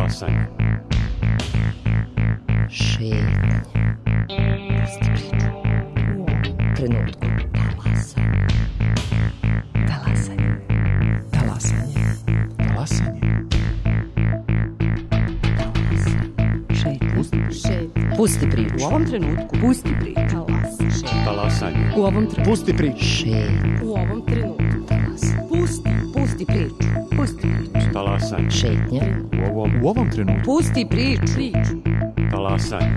Talasanje. Šetnje. Pusti priču. U ovom trenutku. Talasanje. Talasanje. Talasanje. Pusti priču. U ovom trenutku. Pusti priču. Talasanje. U ovom trenutku. Pusti priču. Šetnje. U ovom trenutku. Pusti priču. Pusti priču. Talasanje. Šetnje. U ovom trenutku. Pusti priču. Talasanje.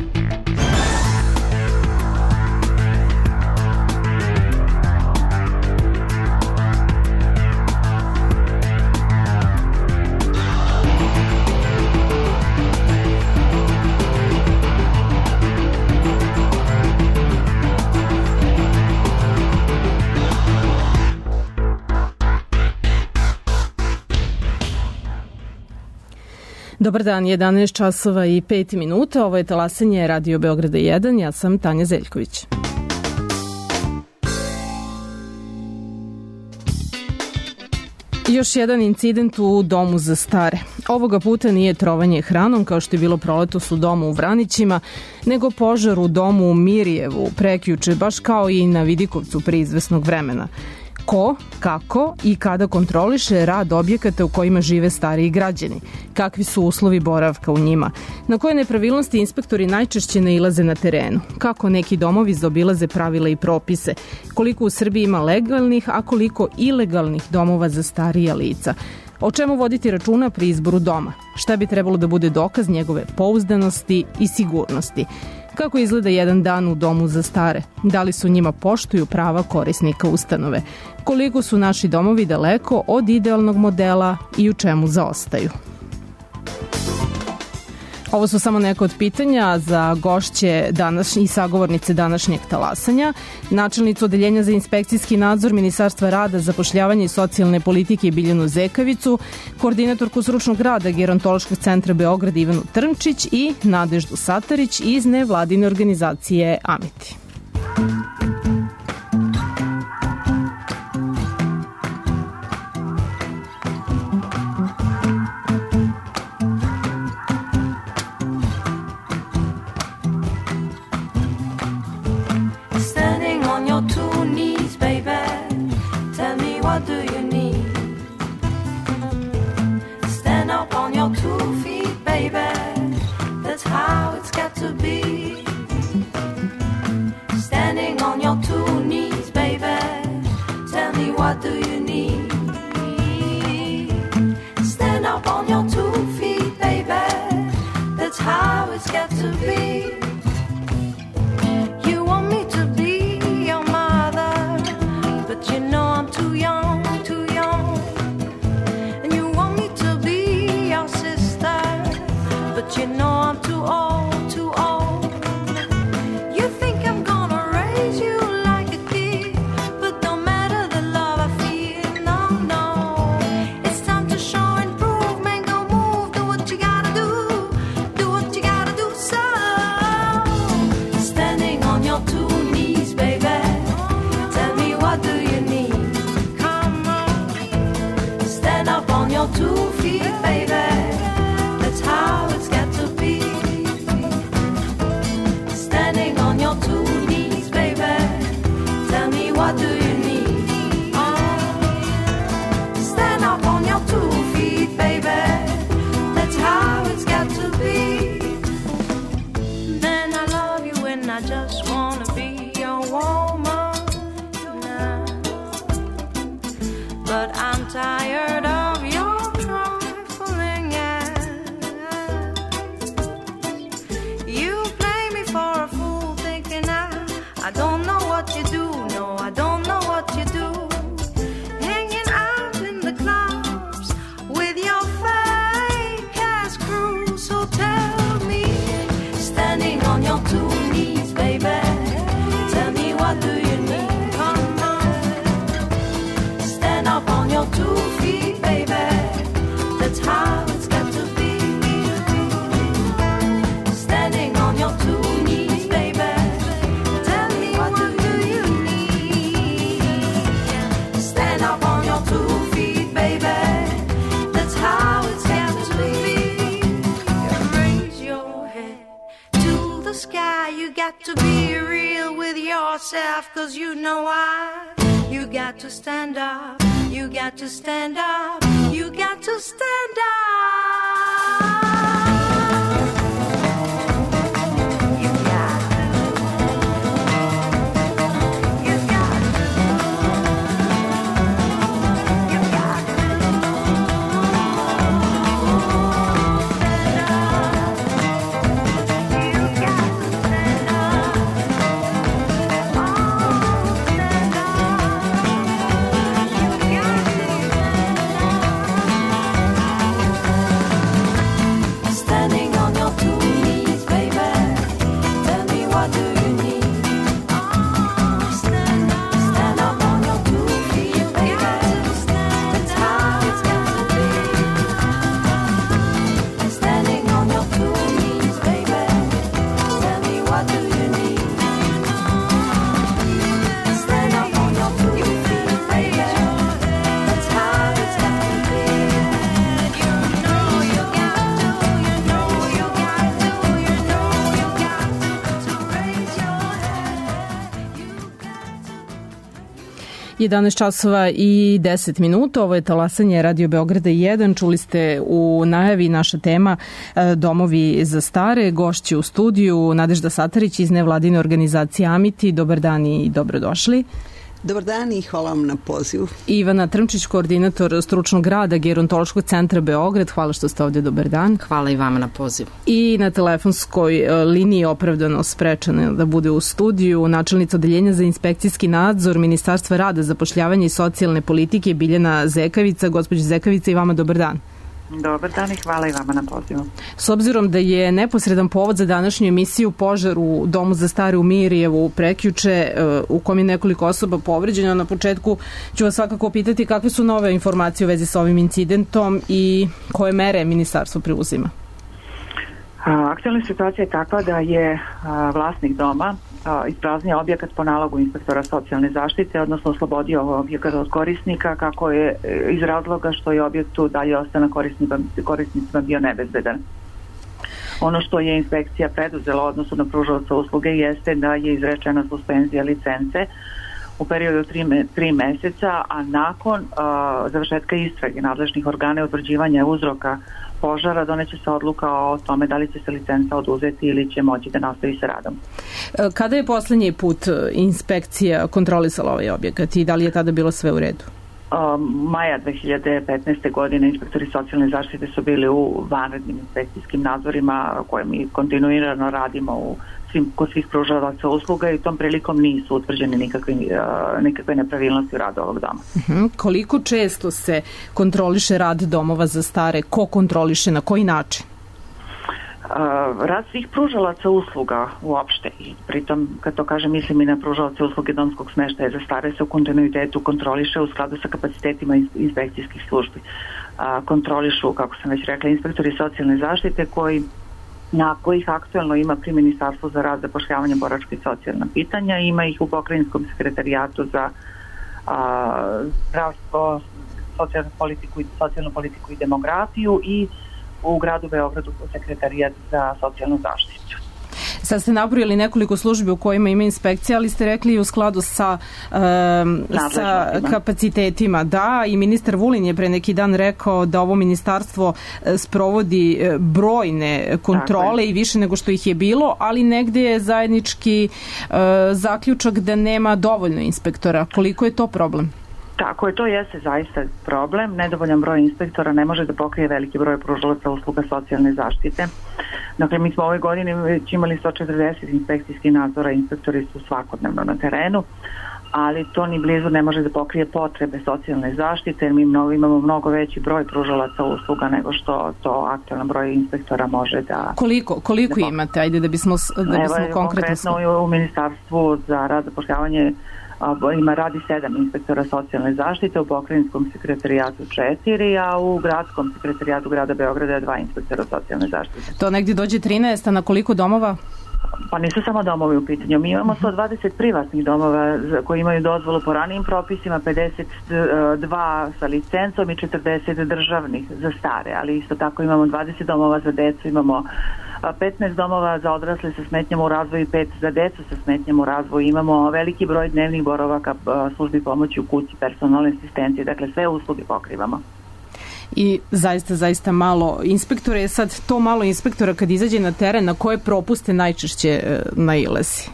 Dobar dan, 11 časova i 5 minuta. Ovo je Talasanje Radio Beograda 1. Ja sam Tanja Zeljković. Još jedan incident u domu za stare. Ovoga puta nije trovanje hranom kao što je bilo proletos u domu u Vranićima, nego požar u domu u Mirjevu prekjuče, baš kao i na Vidikovcu pre izvesnog vremena. Ko, kako i kada kontroliše rad objekata u kojima žive stariji građani? Kakvi su uslovi boravka u njima? Na koje nepravilnosti inspektori najčešće nailaze na terenu? Kako neki domovi zaobilaze pravila i propise? Koliko u Srbiji ima legalnih, a koliko ilegalnih domova za starija lica? O čemu voditi računa pri izboru doma? Šta bi trebalo da bude dokaz njegove pouzdanosti i sigurnosti? Kako izgleda jedan dan u domu za stare? Da li su njima poštuju prava korisnika ustanove? Koliko su naši domovi daleko od idealnog modela i u čemu zaostaju? Ovo su samo neka od pitanja za gošće i sagovornice današnjeg talasanja. Načelnicu Odeljenja za inspekcijski nadzor Ministarstva rada, zapošljavanja i socijalne politike Biljanu Zekavicu, koordinatorku stručnog rada Gerontološkog centra Beograd Ivanu Trnčić i Nadeždu Satarić iz nevladine organizacije Amiti. Stand up on your 2 feet. yourself, 'cause you know why. You got to stand up, you got to stand up, you got to stand up. You got časova i 10 minuta. Ovo je talasanje Radio Beograda 1. Čuli ste u najavi naša tema Domovi za stare. Gošći u studiju Nadežda Satarić iz nevladine organizacije Amiti. Dobar dan i dobrodošli. Dobar dan i hvala vam na pozivu. Ivana Trmčić, koordinator stručnog rada Gerontološkog centra Beograd. Hvala što ste ovdje, dobar dan. Hvala i vama na pozivu. I na telefonskoj liniji opravdano sprečena da bude u studiju načelnica odeljenja za inspekcijski nadzor Ministarstva rada, zapošljavanja i socijalne politike Biljana Zekavica. Gospođa Zekavica, i vama dobar dan. Dobar dan i hvala i vama na pozivu. S obzirom da je neposredan povod za današnju emisiju požar u Domu za stare u Mirjevu prekjuče, u kom je nekoliko osoba povređeno, na početku ću vas svakako pitati kakve su nove informacije u vezi sa ovim incidentom i koje mere ministarstvo preuzima? Aktualna situacija je takva da je vlasnik doma ispraznio objekat po nalogu inspektora socijalne zaštite, odnosno oslobodio objekat od korisnika, kako je iz razloga što je objektu dalje ostana korisnicima bio nebezbedan. Ono što je inspekcija preduzela u odnosu na pružaoca usluge jeste da je izrečena suspenzija licence u periodu 3 meseca, a nakon završetka istrage nadležnih organa i utvrđivanja uzroka požara doneće se odluka o tome da li će se licenca oduzeti ili će moći da nastavi sa radom. Kada je poslednji put inspekcija kontrolisala ovaj objekat i da li je tada bilo sve u redu? Maja 2015. godine inspektori socijalne zaštite su bili u vanrednim inspekcijskim nadzorima koje mi kontinuirano radimo kod svih pružalaca usluga i tom prilikom nisu utvrđene nikakve nepravilnosti u radu ovog doma. Koliko često se kontroliše rad domova za stare? Ko kontroliše, na koji način? Rad svih pružalaca usluga uopšte, i pritom kad to kažem mislim i na pružalace usluge domskog smeštaja za stare, se u kontinuitetu kontroliše u skladu sa kapacitetima inspekcijskih službi. Kontrolišu, kako sam već rekla, inspektori socijalne zaštite na kojih aktualno ima pri Ministarstvu za rad, zapošljavanje, boračka i socijalna pitanja, ima ih u Pokrajinskom sekretarijatu za zdravstvo, socijalnu politiku i demografiju i u gradu Beogradu sekretarijat za socijalnu zaštitu. Sad ste nabrojali nekoliko službi u kojima ima inspekcija, ali ste rekli u skladu sa kapacitetima. Da, i ministar Vulin je pre neki dan rekao da ovo ministarstvo sprovodi brojne kontrole i više nego što ih je bilo, ali negde je zajednički zaključak da nema dovoljno inspektora. Koliko je to problem? Tako je, to jeste zaista problem. Nedovoljan broj inspektora ne može da pokrije veliki broj pružalaca usluga socijalne zaštite. Dakle, mi smo ove godine već imali 140 inspekcijskih nadzora, inspektori su svakodnevno na terenu, ali to ni blizu ne može da pokrije potrebe socijalne zaštite, jer mi imamo mnogo veći broj pružalaca usluga nego što to aktualan broj inspektora može da... Koliko imate? Ajde da bismo konkretno... Konkretno u Ministarstvu za rad, zapošljavanje radi 7 inspektora socijalne zaštite, u Pokrajinskom sekretarijatu 4, a u Gradskom sekretarijatu grada Beograda je 2 inspektora socijalne zaštite. To negdje dođe 13, a na koliko domova? Pa nisu samo domovi u pitanju. Mi imamo 120 privatnih domova koji imaju dozvolu po ranijim propisima, 52 sa licencom i 40 državnih za stare, ali isto tako imamo 20 domova za decu, imamo 15 domova za odrasle sa smetnjama u razvoju i 5 za decu sa smetnjama u razvoju. Imamo veliki broj dnevnih boravaka, službi pomoći u kući, personalne asistencije, dakle sve usluge pokrivamo. I zaista malo inspektora. Sad to malo inspektora kad izađe na teren, na koje propuste najčešće nailazi?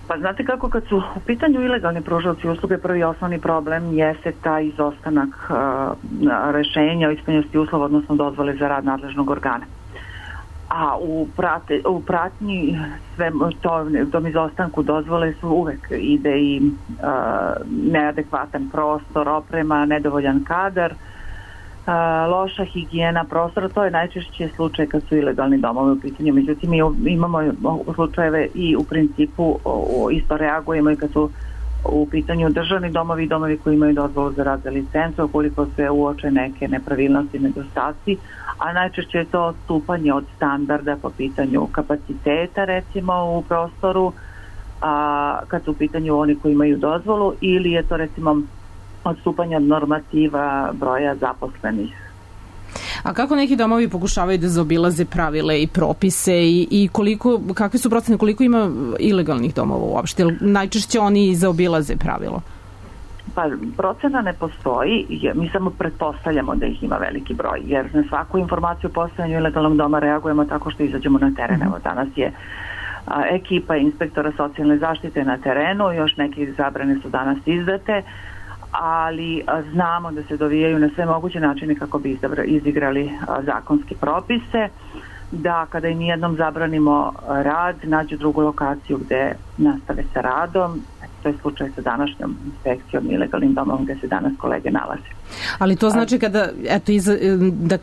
Pa znate kako, kad su u pitanju ilegalni pružaoci usluge, prvi osnovni problem jeste taj izostanak rešenja o ispunjenosti uslova, odnosno dozvole za rad nadležnog organa. A u pratnji tom izostanku dozvole su uvek ide i neadekvatan prostor, oprema, nedovoljan kadar, loša higijena prostora. To je najčešće slučaj kad su ilegalni domovi u pitanju. Međutim, mi imamo slučajeve i u principu isto reagujemo i kad su u pitanju državni domovi i domovi koji imaju dozvolu za rad za licencu, ukoliko se uoče neke nepravilnosti, nedostaci, a najčešće je to odstupanje od standarda po pitanju kapaciteta, recimo u prostoru, kad su u pitanju oni koji imaju dozvolu, ili je to recimo odstupanje od normativa broja zaposlenih. A kako neki domovi pokušavaju da zaobilaze pravile i propise i kakve su procene, koliko ima ilegalnih domova uopšte? Najčešće oni zaobilaze pravilo? Pa procena ne postoji, mi samo pretpostavljamo da ih ima veliki broj, jer na svaku informaciju o postojanju ilegalnog doma reagujemo tako što izađemo na teren. Evo, danas je ekipa inspektora socijalne zaštite na terenu, još neke zabrane su danas izdate, ali znamo da se dovijaju na sve moguće načine kako bi izigrali zakonske propise, da kada im nijednom zabranimo rad, nađu drugu lokaciju gde nastave sa radom. To je slučaj sa današnjom inspekcijom ilegalnim domom gde se danas kolege nalaze. Ali to znači kada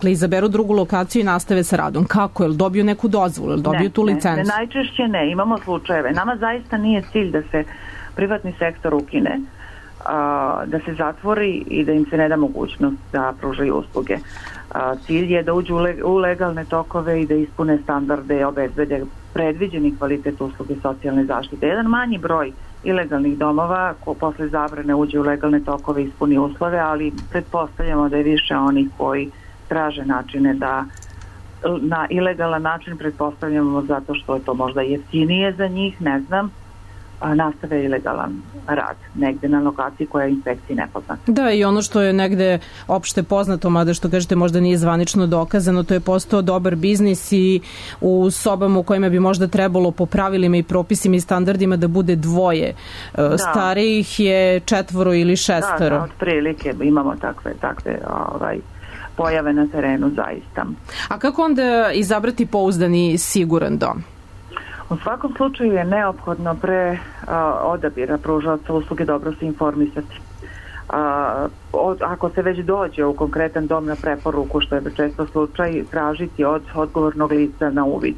izaberu drugu lokaciju i nastave sa radom, kako? Jel dobiju neku dozvolu? Jel dobiju tu licencu? Ne, najčešće ne. Imamo slučajeve. Nama zaista nije cilj da se privatni sektor ukine, da se zatvori i da im se ne da mogućnost da pružaju usluge. Cilj je da uđu u legalne tokove i da ispune standarde i obezbede predviđeni kvalitet usluge socijalne zaštite. Jedan manji broj ilegalnih domova ko posle zabrane uđe u legalne tokove i ispuni uslove, ali pretpostavljamo da je više onih koji traže načine da na ilegalan način, pretpostavljamo zato što je to možda jeftinije za njih, ne znam, nastave ilegalan rad negde na lokaciji koja je inspekciji nepoznata. Da, i ono što je negde opšte poznato, mada što kažete možda nije zvanično dokazano, to je postao dobar biznis i u sobama u kojima bi možda trebalo po pravilima i propisima i standardima da bude dvoje. Starijih je 4 ili 6. Da, otprilike imamo takve pojave na terenu zaista. A kako onda izabrati pouzdani siguran dom? U svakom slučaju je neophodno pre odabira pružaoca usluge dobro se informisati. Ako se već dođe u konkretan dom na preporuku, što je često slučaj, tražiti od odgovornog lica na uvid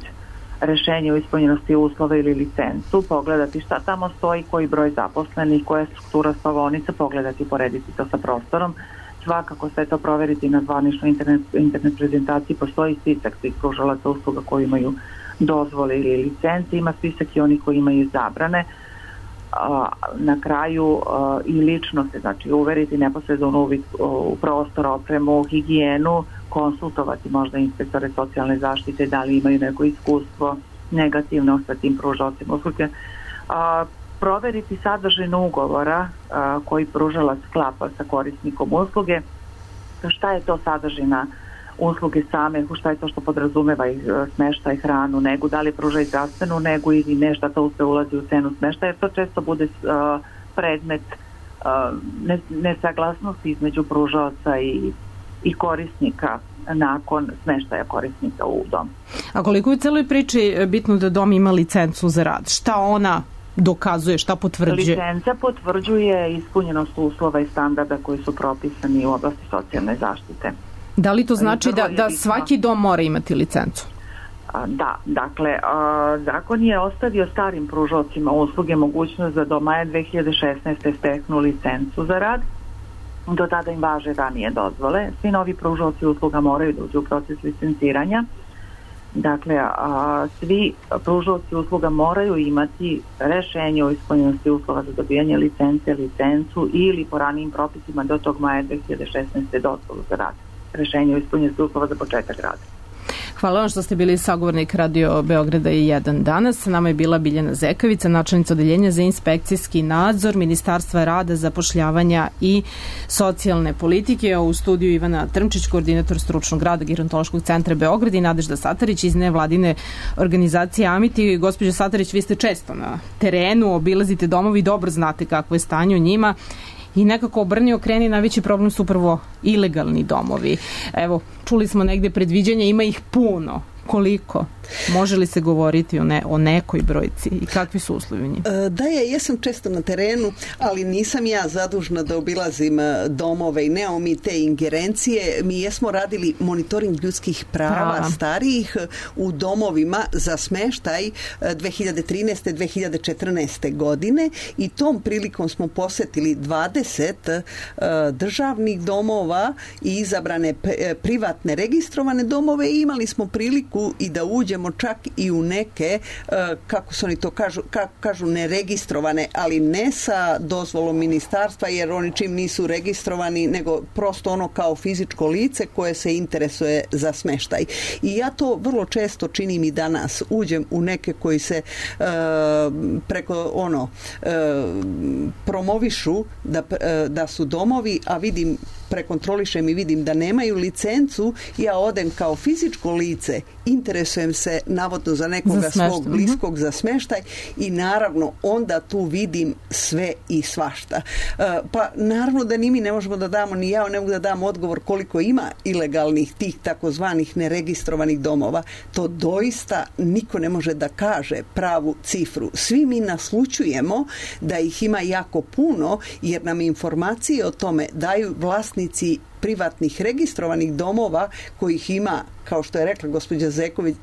rešenje o ispunjenosti uslova ili licencu, pogledati šta tamo stoji, koji broj zaposlenih, koja je struktura spavaonica, pogledati, porediti to sa prostorom. Svakako sve to proveriti na zvaničnoj internet prezentaciji. Postoji spisak svih pružalaca usluga koji imaju dozvole ili licence, ima spisak i onih koji imaju zabrane. Na kraju i lično se, znači, uveriti neposredno uvid u prostor, opremu, higijenu, konsultovati možda inspektore socijalne zaštite da li imaju neko iskustvo negativno sa tim pružalcima usluge. Proveriti sadržinu ugovora koji pružalac sklapa sa korisnikom usluge, šta je to sadržina usluge same, šta je to što podrazumeva i smeštaj, hranu, negu, da li pruža i zdravstvenu negu ili nešto to sve ulazi u cenu smeštaja, jer to često bude predmet nesaglasnosti između pružaoca i korisnika nakon smeštaja korisnika u dom. A koliko je u celoj priči bitno da dom ima licencu za rad? Šta ona dokazuje, šta potvrđuje? Licenca potvrđuje ispunjenost uslova i standarda koji su propisani u oblasti socijalne zaštite. Da li to znači da svaki dom mora imati licencu? Da, dakle, zakon je ostavio starim pružaocima usluge mogućnost da do maja 2016. steknu licencu za rad. Do tada im važe ranije dozvole. Svi novi pružaoci usluga moraju da uđu u proces licenciranja. Dakle, svi pružaoci usluga moraju imati rešenje o ispunjenosti uslova za dobijanje licencu ili po ranijim propisima do tog maja 2016. dozvolu za rad. Rešenje o ispunjenosti uslova za početak rada. Hvala vam što ste bili sagovornik Radio Beograda i 1 danas. Sa nama je bila Biljana Zekavica, načelnica odeljenja za inspekcijski nadzor Ministarstva rada, zapošljavanja i socijalne politike. U studiju Ivana Trmčić, koordinator stručnog rada Gerontološkog centra Beograd, i Nadežda Satarić iz nevladine organizacije Amiti. Gospođo Satarić, vi ste često na terenu, obilazite domovi, dobro znate kakvo je stanje u njima. I nekako obrni okreni, najveći problem su upravo ilegalni domovi. Evo, čuli smo negde predviđanja, ima ih puno. Koliko? Može li se govoriti o nekoj brojci i kakvi su uslovi u njima? Da, ja jesam često na terenu, ali nisam ja zadužna da obilazim domove i nemamo mi te ingerencije. Mi jesmo radili monitoring ljudskih prava starijih u domovima za smeštaj 2013. 2014. godine i tom prilikom smo posetili 20 državnih domova i izabrane privatne registrovane domove i imali smo priliku i da uđemo čak i u neke, kako se oni to kažu neregistrovane, ali ne sa dozvolom ministarstva, jer oni čim nisu registrovani, nego prosto ono kao fizičko lice koje se interesuje za smeštaj. I ja to vrlo često činim i danas. Uđem u neke koji se preko promovišu da su domovi, a vidim, prekontrolišem i vidim da nemaju licencu, ja odem kao fizičko lice, interesujem se navodno za nekoga svog bliskog za smeštaj i naravno onda tu vidim sve i svašta. Pa naravno da ni mi ne možemo da damo, ni ja ne mogu da dam odgovor koliko ima ilegalnih tih takozvanih neregistrovanih domova. To doista niko ne može da kaže pravu cifru. Svi mi naslućujemo da ih ima jako puno, jer nam informacije o tome daju vlasnici privatnih registrovanih domova kojih ima, kao što je rekla gospođa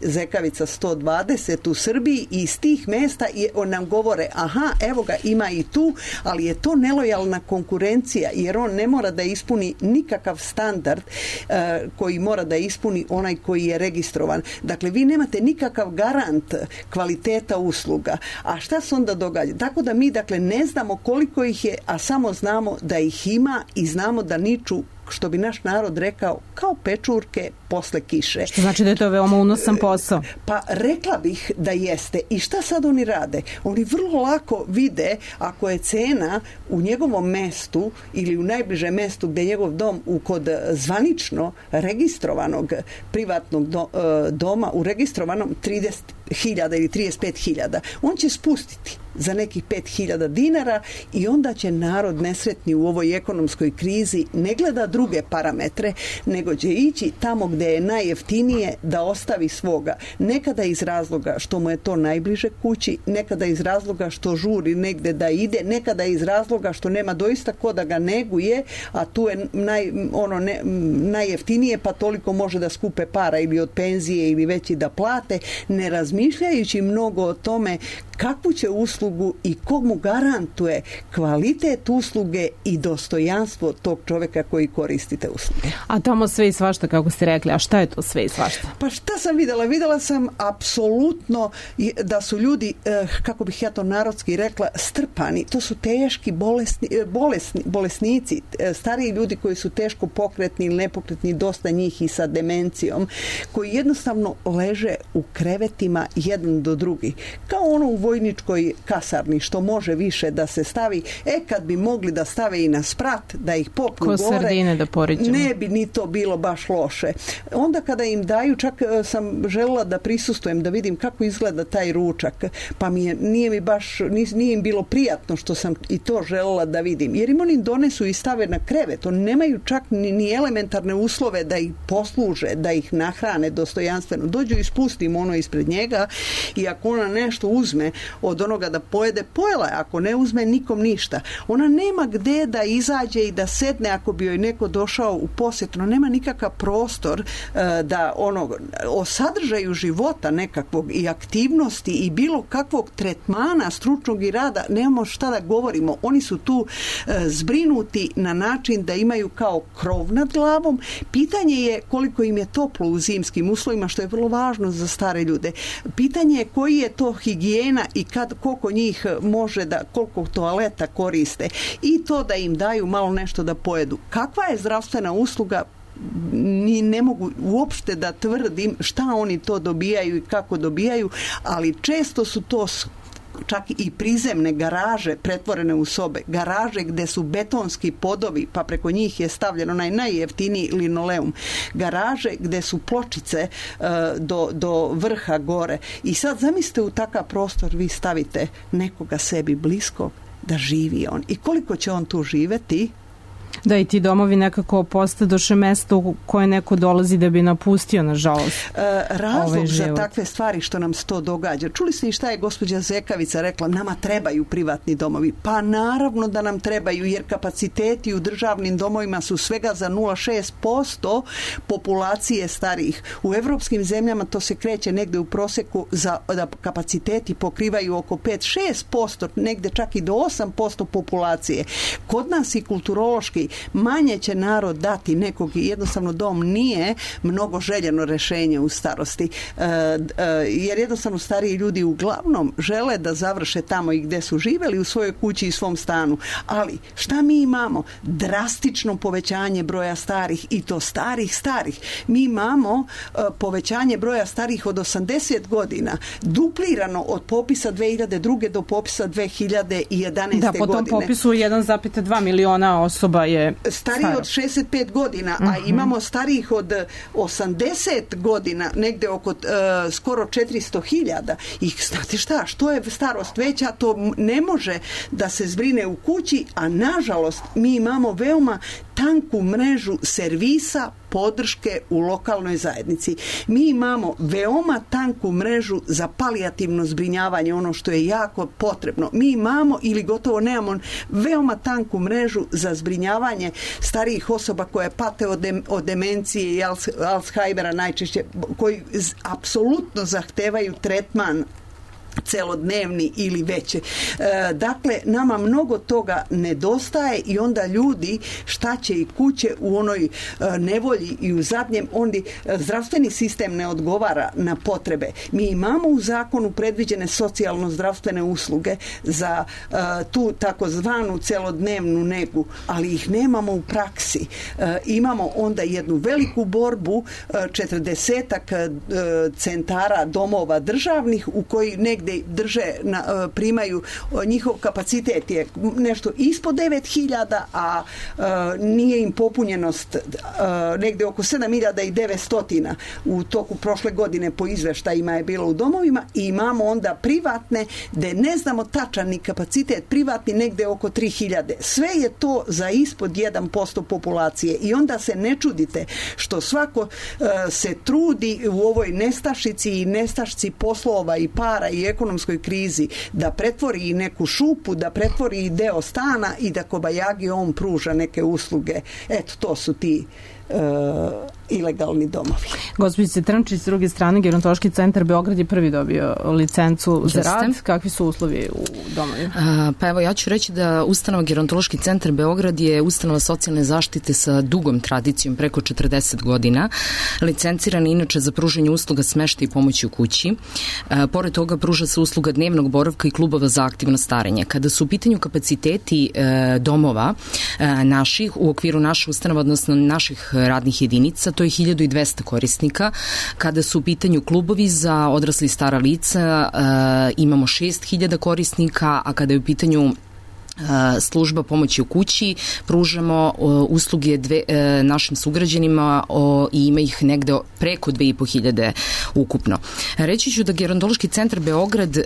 Zekavica, 120 u Srbiji, i iz tih mesta nam govore, aha, evo ga, ima i tu, ali je to nelojalna konkurencija, jer on ne mora da ispuni nikakav standard koji mora da ispuni onaj koji je registrovan. Dakle, vi nemate nikakav garant kvaliteta usluga. A šta se onda događa? Tako da mi, dakle, ne znamo koliko ih je, a samo znamo da ih ima i znamo da niču, što bi naš narod rekao, kao pečurke posle kiše. Što znači da je to veoma unosan posao? Pa rekla bih da jeste. I šta sad oni rade? Oni vrlo lako vide ako je cena u njegovom mestu ili u najbližem mestu gde je njegov dom kod zvanično registrovanog privatnog doma, u registrovanom 30.000 ili 35.000. On će spustiti za nekih 5.000 dinara i onda će narod nesretni u ovoj ekonomskoj krizi ne gleda druge parametre, nego će ići tamo gde je najjeftinije da ostavi svoga. Nekada iz razloga što mu je to najbliže kući, nekada iz razloga što žuri negde da ide, nekada iz razloga što nema doista ko da ga neguje, a tu je najjeftinije, pa toliko može da skupe para ili od penzije ili već i da plate, ne razmišljajući mnogo o tome kakvu će uslugu i ko mu garantuje kvalitet usluge i dostojanstvo tog čoveka koji koristi te usluge. A tamo sve i svašta, kako ste rekli, a šta je to sve i svašta? Pa šta sam videla? Videla sam apsolutno da su ljudi, kako bih ja to narodski rekla, strpani. To su teški bolesnici, stariji ljudi koji su teško pokretni ili nepokretni, dosta njih i sa demencijom, koji jednostavno leže u krevetima jedan do drugi. Kao ono u vojničkoj kasarni, što može više da se stavi, kad bi mogli da stave i na sprat, da ih popnu gore, sardine da poriđemo, ne bi ni to bilo baš loše. Onda kada im daju, čak sam želela da prisustvujem, da vidim kako izgleda taj ručak, pa nije im bilo prijatno što sam i to želela da vidim, jer im oni donesu i stave na krevet, oni nemaju čak ni elementarne uslove da ih posluže, da ih nahrane dostojanstveno. Dođu i spustim ono ispred njega i ako ona nešto uzme od onoga da pojede, pojela je, ako ne uzme nikom ništa. Ona nema gde da izađe i da sedne ako bi joj neko došao u posjetu, no nema nikakav prostor da o sadržaju života nekakvog i aktivnosti i bilo kakvog tretmana stručnog i rada nemamo šta da govorimo. Oni su tu zbrinuti na način da imaju kao krov nad glavom. Pitanje je koliko im je toplo u zimskim uslovima, što je vrlo važno za stare ljude. Pitanje je koji je to higijena i koliko njih može koliko toaleta koriste i to da im daju malo nešto da pojedu. Kakva je zdravstvena usluga? ne mogu uopšte da tvrdim šta oni to dobijaju i kako dobijaju, ali često su to čak i prizemne garaže pretvorene u sobe, garaže gde su betonski podovi, pa preko njih je stavljen onaj najjeftiniji linoleum, garaže gde su pločice do vrha gore. I sad zamislite, u takav prostor vi stavite nekoga sebi bliskog da živi on. I koliko će on tu živeti? Da, i ti domovi nekako postadoše mesto u koje neko dolazi da bi napustio, nažalost. Razlog za takve stvari što nam se to događa. Čuli ste i šta je gospođa Zekavica rekla? Nama trebaju privatni domovi. Pa naravno da nam trebaju, jer kapaciteti u državnim domovima su svega za 0,6% populacije starijih. U evropskim zemljama to se kreće negde u proseku da kapaciteti pokrivaju oko 5-6%, negde čak i do 8% populacije. Kod nas i kulturološki manje će narod dati nekog, jednostavno dom nije mnogo željeno rešenje u starosti, jer jednostavno stariji ljudi uglavnom žele da završe tamo i gde su živeli, u svojoj kući i svom stanu. Ali šta mi imamo? Drastično povećanje broja starih, i to starih. Mi imamo povećanje broja starih od 80 godina, duplirano od popisa 2002. do popisa 2011. godine. Da, po tom popisu 1,2 miliona osoba je stariji od 65 godina, a imamo starijih od 80 godina, negde oko skoro 400.000. I znate šta, što je starost veća, to ne može da se zbrine u kući, a nažalost mi imamo veoma tanku mrežu servisa podrške u lokalnoj zajednici. Mi imamo veoma tanku mrežu za palijativno zbrinjavanje, ono što je jako potrebno. Mi imamo ili gotovo nemamo veoma tanku mrežu za zbrinjavanje starijih osoba koje pate od demencije i Alzheimera najčešće, koji apsolutno zahtevaju tretman celodnevni ili veće. Dakle, nama mnogo toga nedostaje i onda ljudi šta će i kuće u onoj nevolji i u zadnjem, zdravstveni sistem ne odgovara na potrebe. Mi imamo u zakonu predviđene socijalno-zdravstvene usluge za tu takozvanu celodnevnu negu, ali ih nemamo u praksi. Imamo onda jednu veliku borbu, 40-ak centara domova državnih u koji negde primaju, njihov kapacitet je nešto ispod 9.000, a nije im popunjenost negde oko 7.900 u toku prošle godine po izveštajima je bilo u domovima, i imamo onda privatne gde ne znamo tačan ni kapacitet, privatni negde oko 3.000. Sve je to za ispod 1% populacije i onda se ne čudite što svako se trudi u ovoj nestašici i nestašci poslova i para i ekonomskoj krizi da pretvori i neku šupu, da pretvori i deo stana i da kobajagi on pruža neke usluge. Eto, to su ti ilegalni domovi. Gospođice Trnčić, s druge strane, Gerontološki centar Beograd je prvi dobio licencu za rad. Kakvi su uslovi u domovima? Pa evo, ja ću reći da ustanova Gerontološki centar Beograd je ustanova socijalne zaštite sa dugom tradicijom, preko 40 godina. Licenciran inače za pružanje usluga smeštaja i pomoći u kući. Pored toga pruža se usluga dnevnog boravka i klubova za aktivno starenje. Kada su u pitanju kapaciteti domova naših, u okviru naše ustanova, odnosno naših radnih jedinica, to je 1200 korisnika. Kada su u pitanju klubovi za odrasli i stara lica, imamo 6000 korisnika, a kada je u pitanju služba pomoći u kući, pružamo usluge našim sugrađanima i ima ih negde preko 2500 ukupno. Reći ću da Gerontološki centar Beograd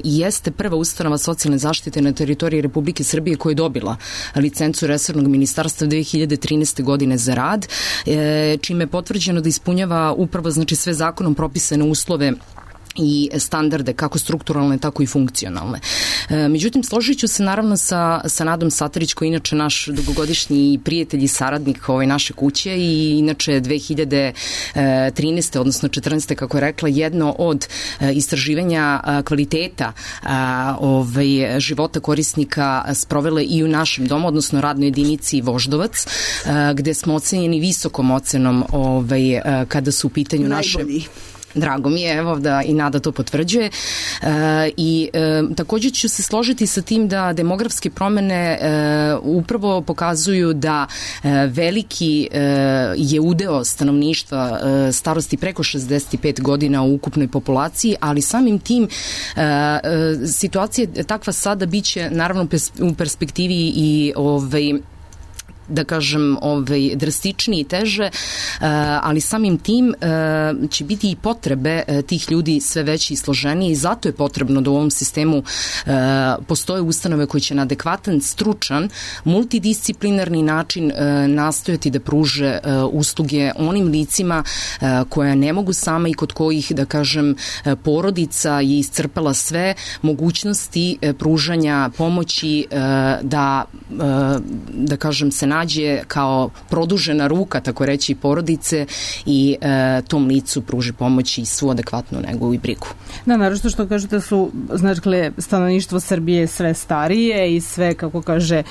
jeste prva ustanova socijalne zaštite na teritoriji Republike Srbije koja je dobila licencu resornog ministarstva 2013. godine za rad, čime je potvrđeno da ispunjava upravo sve zakonom propisane uslove i standarde, kako strukturalne, tako i funkcionalne. Međutim, složit ću se naravno sa Nadom Satarić, koji je inače naš dugogodišnji prijatelj i saradnik naše kuće i inače 2013. odnosno 14. kako je rekla, jedno od istraživanja kvaliteta života korisnika sprovele i u našem domu, odnosno radnoj jedinici Voždovac, gde smo ocenjeni visokom ocenom kada su u pitanju naše Drago mi je, evo da i Nada to potvrđuje. I takođe ću se složiti sa tim da demografske promene upravo pokazuju da veliki je udeo stanovništva starosti preko 65 godina u ukupnoj populaciji, ali samim tim situacija takva sada biće naravno u perspektivi i da kažem, drastičnije i teže, ali samim tim će biti i potrebe tih ljudi sve veće i složenije i zato je potrebno da u ovom sistemu postoje ustanove koje će na adekvatan, stručan, multidisciplinarni način nastojati da pruže usluge onim licima koja ne mogu sama i kod kojih, da kažem, porodica je iscrpela sve mogućnosti pružanja pomoći da kažem, se nađe kao produžena ruka, tako reći, porodice i tom licu pruži pomoć i svu adekvatnu negu i brigu. Da, naravno što kažete su, znači, stanovništvo Srbije sve starije i sve, kako kaže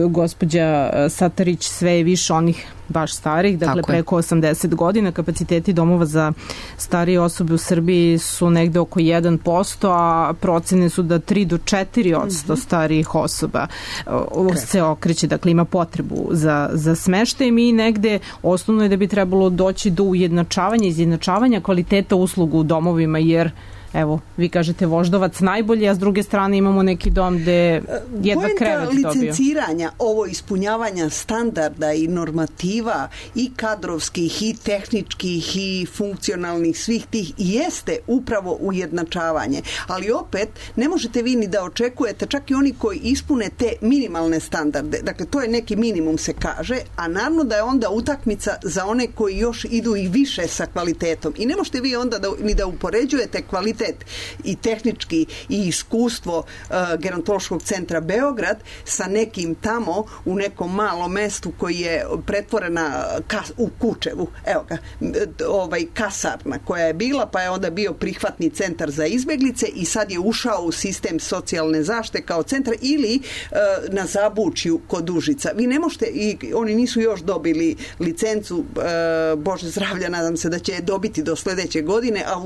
gospođa Satarić, sve je više onih baš starih, dakle preko 80 godina. Kapaciteti domova za starije osobe u Srbiji su negde oko 1%, a procene su da 3 do 4% starijih osoba se okreće, dakle ima potrebu za smeštaj. Mi negde osnovno je da bi trebalo doći do izjednačavanja kvaliteta usluga u domovima, jer evo, vi kažete Voždovac najbolji, a s druge strane imamo neki dom gde jedva krevet dobio. Poenta licenciranja, ovo ispunjavanja standarda i normativa i kadrovskih i tehničkih i funkcionalnih svih tih jeste upravo ujednačavanje. Ali opet, ne možete vi ni da očekujete, čak i oni koji ispune te minimalne standarde. Dakle, to je neki minimum se kaže, a naravno da je onda utakmica za one koji još idu i više sa kvalitetom. I ne možete vi onda ni da upoređujete kvalitet i tehnički i iskustvo Gerontološkog centra Beograd sa nekim tamo u nekom malom mestu koji je pretvorena u Kučevu, evo ga, kasarna koja je bila, pa je onda bio prihvatni centar za izbeglice i sad je ušao u sistem socijalne zaštite kao centar, ili na Zabučju kod Užica. Vi ne možete, i oni nisu još dobili licencu, Bože zdravlja, nadam se da će dobiti do sledeće godine, a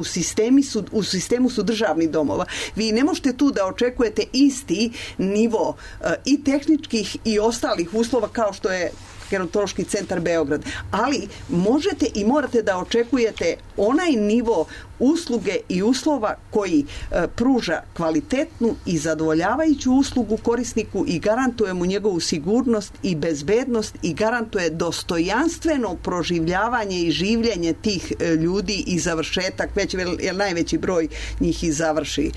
u sistemu su državnih domova. Vi ne možete tu da očekujete isti nivo i tehničkih i ostalih uslova kao što je Gerontološki centar Beograd. Ali možete i morate da očekujete onaj nivo usluge i uslova koji pruža kvalitetnu i zadovoljavajuću uslugu korisniku i garantuje mu njegovu sigurnost i bezbednost i garantuje dostojanstveno proživljavanje i življenje tih ljudi i završetak, jer najveći broj njih i završi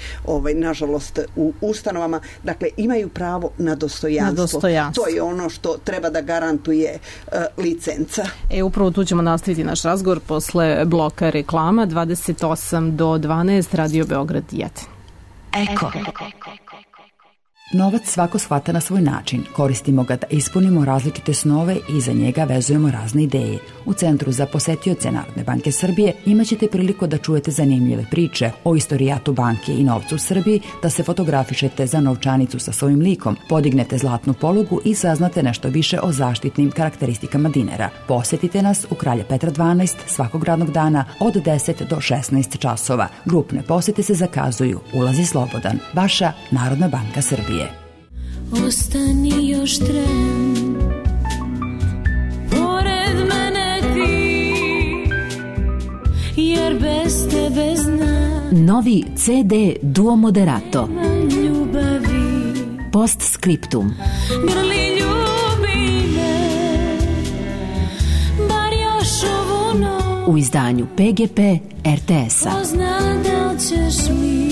nažalost u ustanovama. Dakle, imaju pravo na dostojanstvo. To je ono što treba da garantuje licenca. Upravo tu ćemo nastaviti naš razgovor posle bloka reklama. 28 do 12, Radio Beograd 1. Eko. Novac svako shvata na svoj način. Koristimo ga da ispunimo različite snove i za njega vezujemo razne ideje. U Centru za posetioce Narodne banke Srbije imaćete priliku da čujete zanimljive priče o istorijatu banke i novcu u Srbiji, da se fotografišete za novčanicu sa svojim likom, podignete zlatnu polugu i saznate nešto više o zaštitnim karakteristikama dinara. Posetite nas u Kralja Petra 12 svakog radnog dana od 10 do 16 časova. Grupne posete se zakazuju. Ulaz je slobodan. Vaša Narodna banka Srbije. Ostani još tren, pored mene ti, jer bez tebe znam. Novi CD Duo Moderato. Ljubavi. Postscriptum. Grli ljubi me, bar još ovu noć. U izdanju PGP RTS-a. Ko zna da li ćeš mi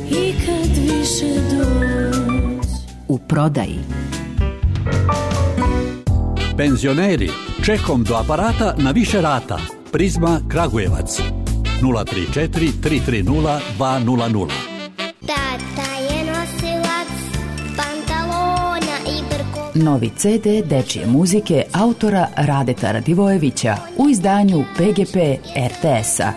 i kad više doći. U prodaji. Penzioneri, čekom do aparata na više rata. Prizma Kragujevac 034 330 200. Tata je nosilac pantalona i brko. Novi CD dečije muzike autora Radeta Radivojevića u izdanju PGP RTS-a.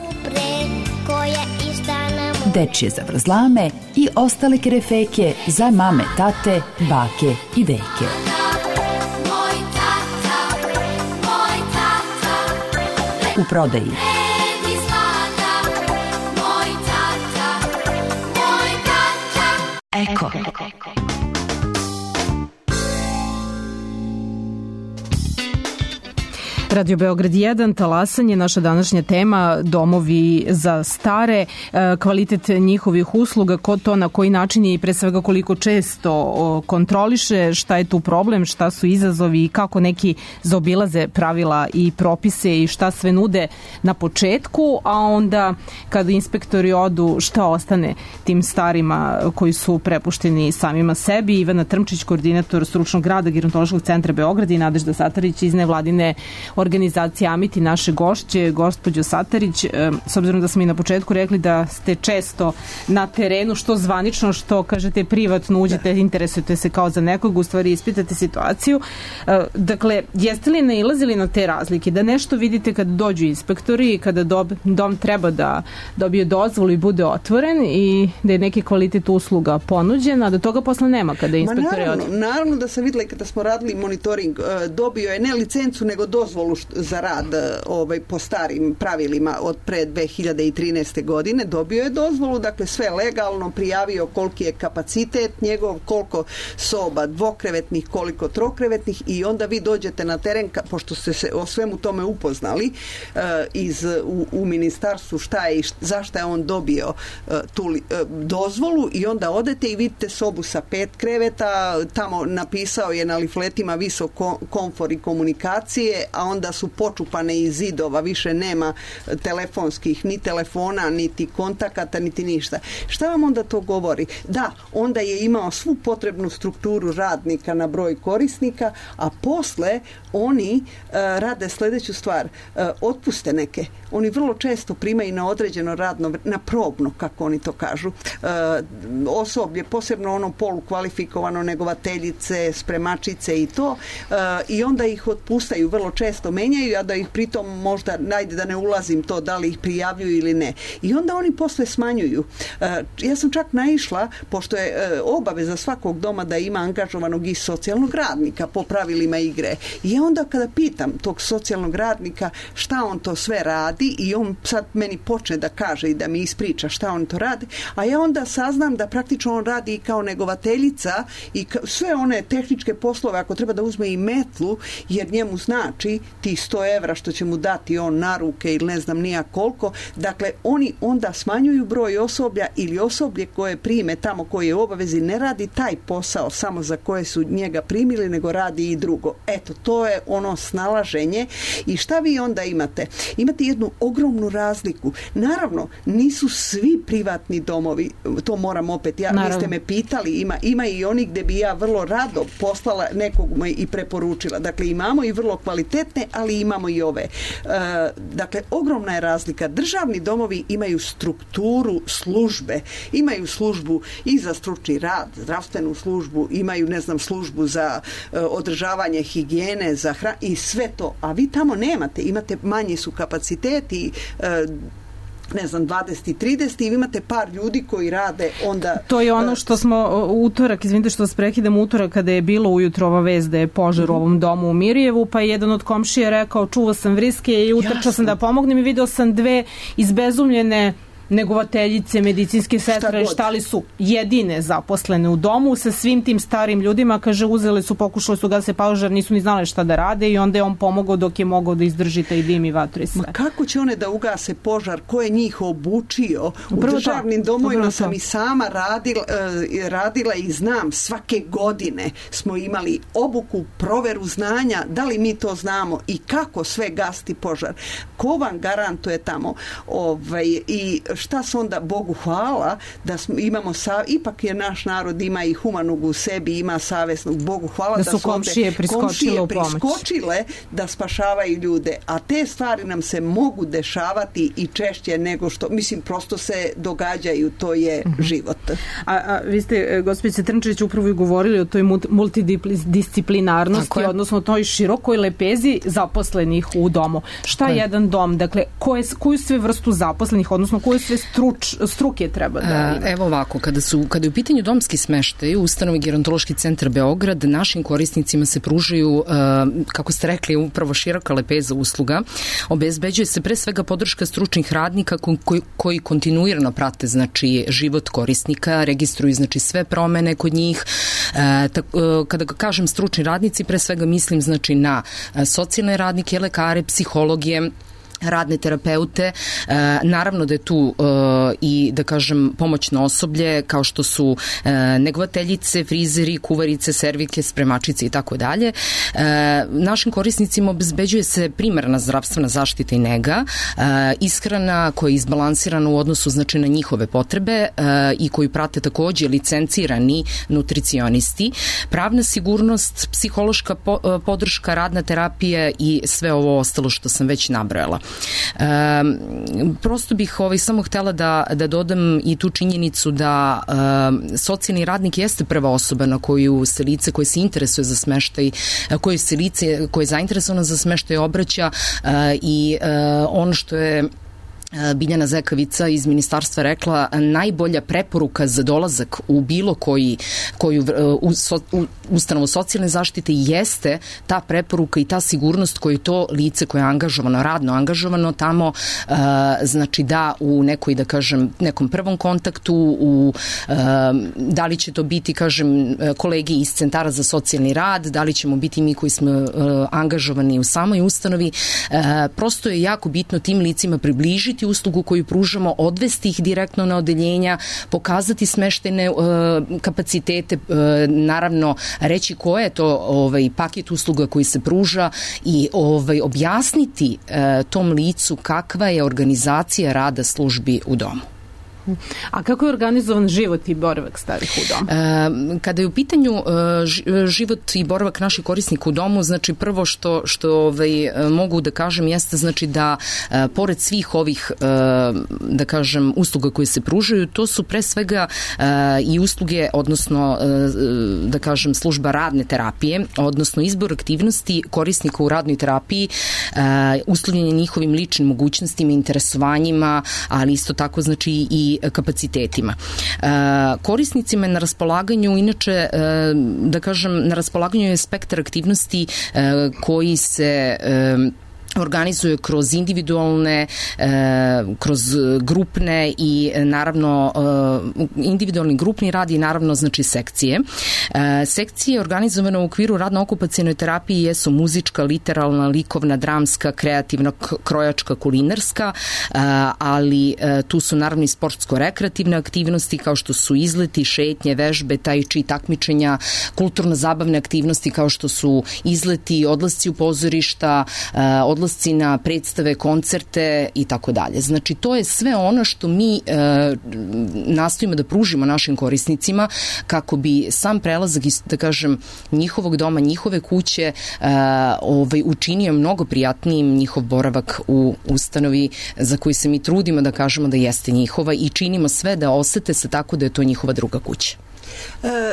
Dečije zavrzlame i ostale kerefeke za mame, tate, bake i deke. U prodaji. Eko. Radio Beograd 1, talasanje, naša današnja tema, domovi za stare, kvalitet njihovih usluga, ko to na koji način i pre svega koliko često kontroliše, šta je tu problem, šta su izazovi i kako neki zaobilaze pravila i propise i šta sve nude na početku, a onda kada inspektori odu, šta ostane tim starima koji su prepušteni samima sebi. Ivana Trmčić, koordinator stručnog rada Gerontološkog centra Beograd, i Nadežda Satarić iz nevladine organizacije Amiti, naše gošće. Gospođo Satarić, s obzirom da smo i na početku rekli da ste često na terenu, što zvanično, što kažete privatno, uđete, interesujete se kao za nekog, u stvari ispitate situaciju. Dakle, jeste li nailazili na te razlike, da nešto vidite kada dođu inspektori i kada dom treba da dobije dozvolu i bude otvoren i da je neki kvalitet usluga ponuđen, a da toga posle nema kada inspektori odu? Naravno da sam videla kada smo radili monitoring, dobio je ne licencu nego dozvolu za rad po starim pravilima od pre 2013. godine, dobio je dozvolu, dakle sve legalno, prijavio koliki je kapacitet njegov, koliko soba dvokrevetnih, koliko trokrevetnih, i onda vi dođete na teren, pošto ste se o svemu tome upoznali u ministarstvu šta je i zašto je on dobio tu dozvolu, i onda odete i vidite sobu sa 5 kreveta, tamo napisao je na lifletima visok komfor i komunikacije, a onda su počupane iz zidova, više nema telefonskih, ni telefona, niti kontakata, niti ništa. Šta vam onda to govori? Da, onda je imao svu potrebnu strukturu radnika na broj korisnika, a posle oni rade sledeću stvar, otpuste neke. Oni vrlo često primaju na određeno radno, na probno, kako oni to kažu, osoblje, posebno ono polukvalifikovano, negovateljice, spremačice i to, i onda ih otpustaju, vrlo često menjaju, a da ih pritom možda, najde da ne ulazim to, da li ih prijavljuju ili ne. I onda oni posle smanjuju. Ja sam čak naišla, pošto je obaveza svakog doma da ima angažovanog i socijalnog radnika po pravilima igre. I onda kada pitam tog socijalnog radnika šta on to sve radi, i on sad meni počne da kaže i da mi ispriča šta on to radi, a ja onda saznam da praktično on radi i kao negovateljica i sve one tehničke poslove, ako treba da uzme i metlu, jer njemu znači ti 100 evra što će mu dati on na ruke ili ne znam nija koliko. Dakle, oni onda smanjuju broj osoblja, ili osoblje koje prime tamo, koje je u obavezi, ne radi taj posao samo za koje su njega primili, nego radi i drugo. Eto, to je ono snalaženje. I šta vi onda imate? Imate jednu ogromnu razliku. Naravno, nisu svi privatni domovi, to moram opet, vi ste me pitali, ima i oni gde bi ja vrlo rado poslala nekog i preporučila. Dakle, imamo i vrlo kvalitetne, ali imamo i ove. Dakle, ogromna je razlika. Državni domovi imaju strukturu službe. Imaju službu i za stručni rad, zdravstvenu službu, imaju, ne znam, službu za održavanje higijene, za hranu i sve to. A vi tamo nemate. Imate, manji su kapaciteti, ne znam, 20 i 30, i vi imate par ljudi koji rade onda... To je ono što smo utorak, izvinite što vas prekidam, utorak kada je bilo ujutro ova vest da je požar u ovom domu u Mirjevu, pa je jedan od komšija rekao, čuvao sam vriske i utrčao sam da pomognem i video sam 2 izbezumljene negovateljice, medicinske sestre, šta li su jedine zaposlene u domu sa svim tim starim ljudima, kaže, uzele su, pokušali su gase požar, nisu ni znale šta da rade, i onda je on pomogao dok je mogao da izdrži taj dim i vatru i sve. Ma kako će one da ugase požar? Ko je njih obučio? U državnim domovima sam i sama radila i znam, svake godine smo imali obuku, proveru znanja, da li mi to znamo i kako sve gasti požar. Ko vam garantuje tamo? I šta se onda, Bogu hvala, da imamo, ipak je naš narod, ima i humanog u sebi, ima savesnog, Bogu hvala da su komšije priskočile da spašavaju ljude, a te stvari nam se mogu dešavati i češće nego što, mislim, prosto se događaju, to je život. A vi ste, gospođice Trnčić, upravo i govorili o toj multidisciplinarnosti, odnosno toj širokoj lepezi zaposlenih u domu. Šta je jedan dom? Dakle, koju sve vrstu zaposlenih, odnosno koje sve struke treba da ima? Evo ovako, kada je u pitanju domski smeštaj u ustanovi Gerontološki centar Beograd, našim korisnicima se pružaju, kako ste rekli, upravo široka lepeza usluga. Obezbeđuje se pre svega podrška stručnih radnika koji kontinuirano prate, znači, život korisnika, registruju, znači, sve promene kod njih. Kada kažem stručni radnici, pre svega mislim, znači, na socijalne radnike, lekare, psihologe, radne terapeute, naravno da je tu i, da kažem, pomoćno osoblje, kao što su negovateljice, frizeri, kuvarice, servike, spremačice i tako dalje. Našim korisnicima obezbeđuje se primarna zdravstvena zaštita i nega, ishrana koja je izbalansirana u odnosu, znači, na njihove potrebe i koju prate takođe licencirani nutricionisti, pravna sigurnost, psihološka podrška, radna terapija i sve ovo ostalo što sam već nabrojala. Prosto bih samo htela da dodam i tu činjenicu da socijalni radnik jeste prva osoba na koju se lice koje se interesuje za smeštaj, koje se lice koje je zainteresovano za smeštaj obraća i ono što je Biljana Zekavica iz ministarstva rekla, najbolja preporuka za dolazak u bilo koju ustanovu socijalne zaštite jeste ta preporuka i ta sigurnost koju to lice koje je angažovano, radno angažovano tamo, znači da u nekoj, da kažem, nekom prvom kontaktu, da li će to biti, kažem, kolegi iz centara za socijalni rad, da li ćemo biti mi koji smo angažovani u samoj ustanovi, prosto je jako bitno tim licima približiti uslugu koju pružamo, odvesti ih direktno na odeljenja, pokazati smeštene kapacitete, naravno reći koje je to paket usluga koji se pruža i objasniti tom licu kakva je organizacija rada službi u domu. A kako je organizovan život i boravak starih u domu? Kada je u pitanju život i boravak naših korisnika u domu, znači prvo što mogu da kažem jeste, znači da pored svih ovih, da kažem, usluga koje se pružaju, to su pre svega i usluge, odnosno da kažem služba radne terapije, odnosno izbor aktivnosti korisnika u radnoj terapiji, uslovljenje njihovim ličnim mogućnostima, interesovanjima, ali isto tako, znači, i kapacitetima. Korisnicima je na raspolaganju, inače, da kažem, na raspolaganju je spektar aktivnosti koji se organizuje kroz individualne, kroz grupne i naravno individualni grupni rad i naravno, znači, sekcije. Sekcije organizovane u okviru radno-okupacijenoj terapiji jesu muzička, literalna, likovna, dramska, kreativna, krojačka, kulinarska, ali tu su naravno i sportsko-rekreativne aktivnosti kao što su izleti, šetnje, vežbe, tai chi, takmičenja, kulturno-zabavne aktivnosti kao što su izleti, odlasci u pozorišta, odlasci na predstave, koncerte i tako dalje. Znači, to je sve ono što mi nastojimo da pružimo našim korisnicima kako bi sam prelazak iz, da kažem, njihovog doma, njihove kuće učinio mnogo prijatnijim njihov boravak u ustanovi za koju se mi trudimo da kažemo da jeste njihova i činimo sve da osete se tako da je to njihova druga kuća.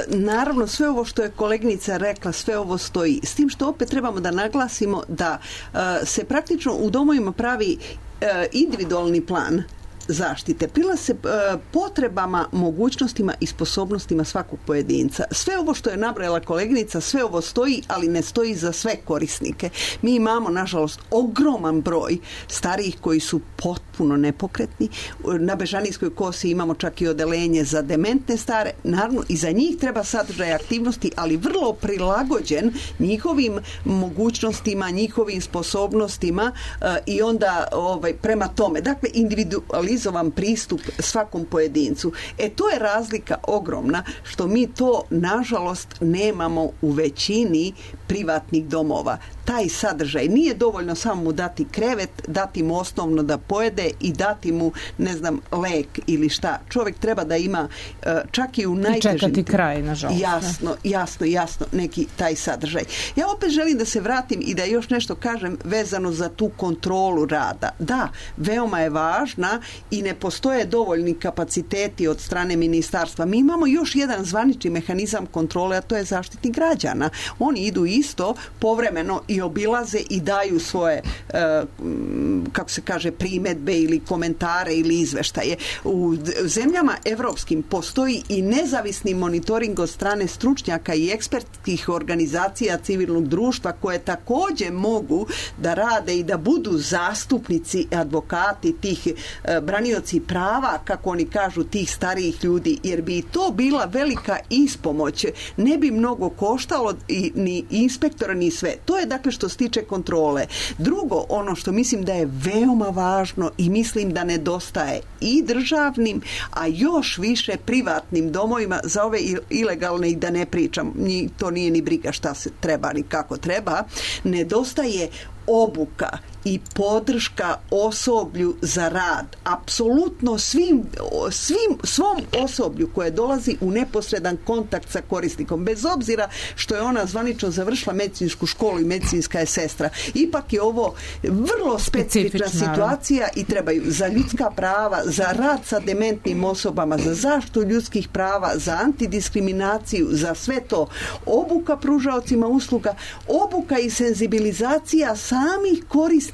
Naravno, sve ovo što je koleginica rekla, sve ovo stoji. S tim što opet trebamo da naglasimo da se praktično u domovima pravi individualni plan zaštite, prilazi se potrebama, mogućnostima i sposobnostima svakog pojedinca. Sve ovo što je nabrojala koleginica, sve ovo stoji, ali ne stoji za sve korisnike. Mi imamo, nažalost, ogroman broj starijih koji su potpuno nepokretni. Na Bežanijskoj kosi imamo čak i odeljenje za dementne stare. Naravno, i za njih treba sadržaj aktivnosti, ali vrlo prilagođen njihovim mogućnostima, njihovim sposobnostima i onda prema tome. Dakle, individualizovan pristup svakom pojedincu. To je razlika ogromna što mi to, nažalost, nemamo u većini privatnih domova. Taj sadržaj nije dovoljno samo mu dati krevet, dati mu osnovno da pojede i dati mu, ne znam, lek ili šta. Čovjek treba da ima čak i u najtežim... I čekati kraj, nažalost. Jasno, neki taj sadržaj. Ja opet želim da se vratim i da još nešto kažem vezano za tu kontrolu rada. Da, veoma je važna i ne postoje dovoljni kapaciteti od strane ministarstva. Mi imamo još jedan zvanični mehanizam kontrole, a to je Zaštitnik građana. Oni idu isto povremeno i obilaze i daju svoje kako se kaže, primedbe ili komentare ili izveštaje. U zemljama evropskim postoji i nezavisni monitoring od strane stručnjaka i ekspertskih organizacija civilnog društva koje takođe mogu da rade i da budu zastupnici, advokati tih branioci prava, kako oni kažu, tih starijih ljudi, jer bi to bila velika ispomoć. Ne bi mnogo koštalo ni inspektora ni sve. To je dakle što se tiče kontrole. Drugo, ono što mislim da je veoma važno i mislim da nedostaje i državnim, a još više privatnim domovima, za ove ilegalne i da ne pričam, to nije ni briga šta se treba ni kako treba, nedostaje obuka i podrška osoblju za rad. Apsolutno svom osoblju koje dolazi u neposredan kontakt sa korisnikom, bez obzira što je ona zvanično završila medicinsku školu i medicinska je sestra. Ipak je ovo vrlo specifična situacija i trebaju za ljudska prava, za rad sa dementnim osobama, za zaštitu ljudskih prava, za antidiskriminaciju, za sve to. Obuka pružaocima usluga, obuka i senzibilizacija samih korisnika,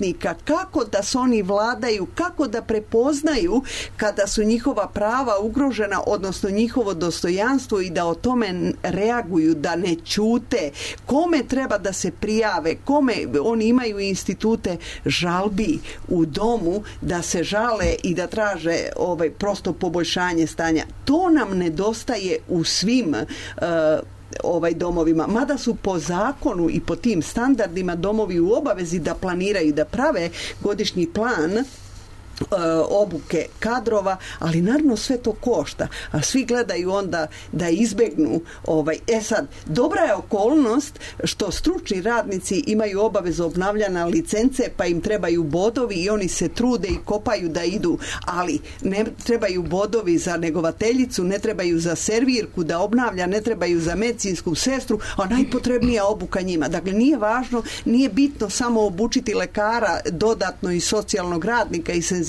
kako da se oni vladaju, kako da prepoznaju kada su njihova prava ugrožena, odnosno njihovo dostojanstvo i da o tome reaguju, da ne ćute, kome treba da se prijave, kome oni imaju institute žalbi u domu da se žale i da traže prosto poboljšanje stanja. To nam nedostaje u svim domovima, mada su po zakonu i po tim standardima domovi u obavezi da planiraju, da prave godišnji plan obuke kadrova, ali naravno sve to košta, a svi gledaju onda da izbegnu sad, dobra je okolnost što stručni radnici imaju obavezu obnavljanja licence, pa im trebaju bodovi i oni se trude i kopaju da idu, ali ne trebaju bodovi za negovateljicu, ne trebaju za servirku da obnavlja, ne trebaju za medicinsku sestru, a najpotrebnija obuka njima. Dakle, nije važno, nije bitno samo obučiti lekara dodatno i socijalnog radnika i senzibilisati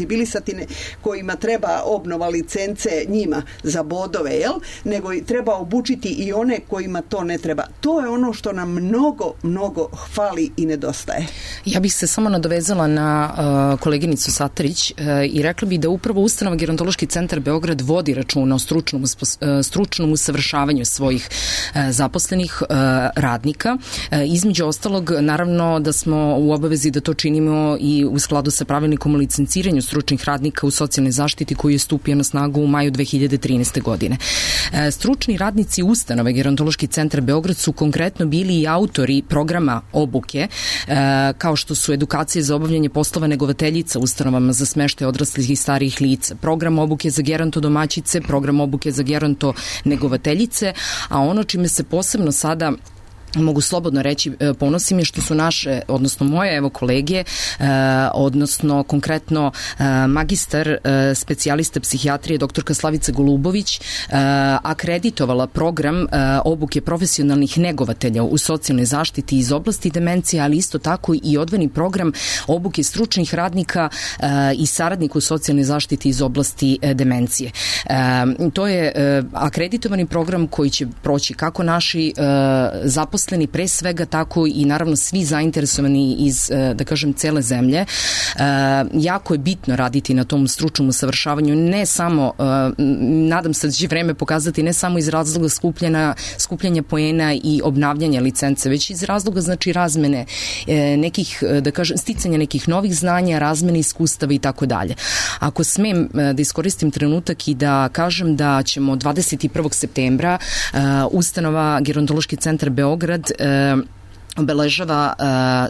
kojima treba obnova licence njima za bodove, nego treba obučiti i one kojima to ne treba. To je ono što nam mnogo fali i nedostaje. Ja bih se samo nadovezala na koleginicu Satarić i rekla bih da upravo ustanova Gerontološki centar Beograd vodi računa o stručnom usavršavanju svojih zaposlenih radnika. Između ostalog, naravno da smo u obavezi da to činimo i u skladu sa pravilnikom o licenciranju stručnih radnika u socijalnoj zaštiti koji je stupio na snagu u maju 2013. godine. Stručni radnici ustanove Gerontološki centar Beograd su konkretno bili i autori programa obuke, kao što su edukacije za obavljanje poslova negovateljica ustanovama za smeštaj odraslih i starijih lica, program obuke za gerontodomaćice, program obuke za gerontonegovateljice, a ono čime se posebno sada mogu slobodno reći, ponosim je što su naše, odnosno moje kolege, odnosno konkretno magistar specijalista psihijatrije doktorka Slavica Golubović akreditovala program obuke profesionalnih negovatelja u socijalnoj zaštiti iz oblasti demencije, ali isto tako i odvojeni program obuke stručnih radnika i saradnika u socijalnoj zaštiti iz oblasti demencije. To je akreditovani program koji će proći kako naši zaposleni pre svega, tako i naravno svi zainteresovani iz, da kažem, cele zemlje. Jako je bitno raditi na tom stručnom usavršavanju, ne samo, nadam se da će vreme pokazati, ne samo iz razloga skupljanja poena i obnavljanja licence, već iz razloga, znači, razmene nekih, da kažem, sticanja nekih novih znanja, razmene iskustava i tako dalje. Ako smem da iskoristim trenutak i da kažem da ćemo 21. septembra ustanova Gerontološki centar Beograd obeležava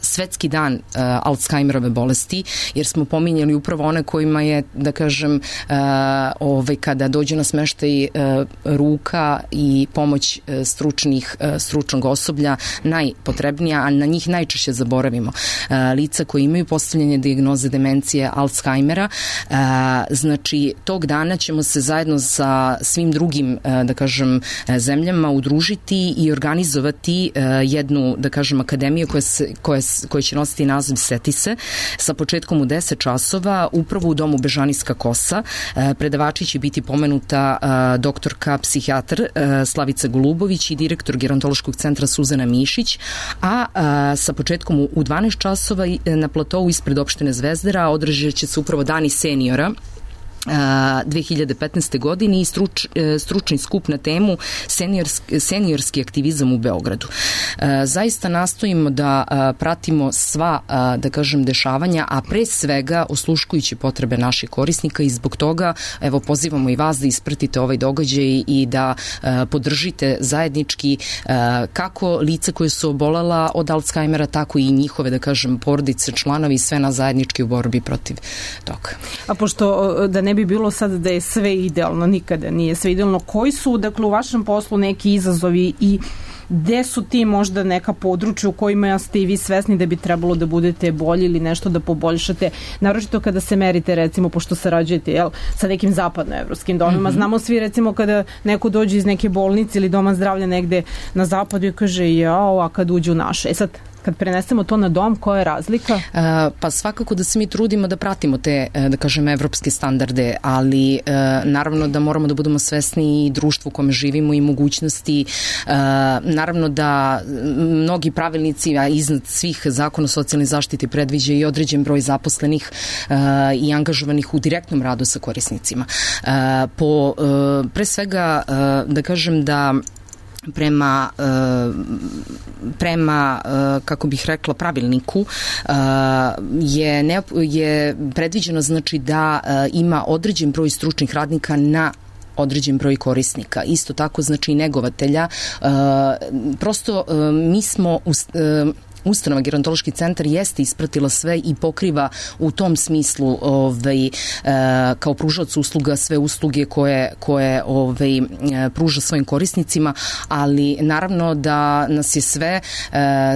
svetski dan Alzheimerove bolesti, jer smo pominjali upravo one kojima je, da kažem, kada dođe na smeštaj ruka i pomoć stručnog osoblja najpotrebnija, a na njih najčešće zaboravimo. Lica koji imaju postavljanje dijagnoze demencije Alzheimera. Znači, tog dana ćemo se zajedno sa svim drugim, da kažem, zemljama udružiti i organizovati jednu, da kažem, kažem, akademije koja će nositi naziv Seti se, sa početkom u 10 časova, upravo u domu Bežanijska kosa. Predavači će biti pomenuta doktorka psihijatar Slavica Golubović i direktor Gerontološkog centra Suzana Mišić, a sa početkom u 12 časova na platovu ispred opštine Zvezdara održat će se upravo Dani seniora 2015. godine i stručni skup na temu seniorski aktivizam u Beogradu. Zaista nastojimo da pratimo sva, da kažem, dešavanja, a pre svega osluškujući potrebe naših korisnika i zbog toga, evo, pozivamo i vas da ispratite ovaj događaj i da podržite zajednički kako lice koje su obolela od Alzheimera, tako i njihove, da kažem, porodice, članovi i sve nas zajednički u borbi protiv toga. A pošto da ne bi bilo sad da je sve idealno, nikada nije sve idealno, koji su, dakle, u vašem poslu neki izazovi i gde su ti možda neka područja u kojima ste i vi svesni da bi trebalo da budete bolji ili nešto da poboljšate, naročito kada se merite, recimo, pošto sarađujete sa nekim zapadnoevropskim domima. Znamo svi, recimo, kada neko dođe iz neke bolnice ili doma zdravlja negde na zapadu i kaže jao, a kad uđe u naše. Sad, kad prenesemo to na dom, koja je razlika? Pa svakako da se mi trudimo da pratimo te, da kažem, evropske standarde, ali naravno da moramo da budemo svesni i društvu u kome živimo i mogućnosti. Naravno da mnogi pravilnici, a iznad svih zakona o socijalnoj zaštiti predviđa i određen broj zaposlenih i angažovanih u direktnom radu sa korisnicima. Pre svega, da kažem da prema kako bih rekla, pravilniku je predviđeno, znači, da ima određen broj stručnih radnika na određen broj korisnika. Isto tako, znači, i negovatelja. Prosto mi smo ustanova Gerontološki centar jeste ispratila sve i pokriva u tom smislu kao pružalac usluga sve usluge koje pruža svojim korisnicima, ali naravno da nas je sve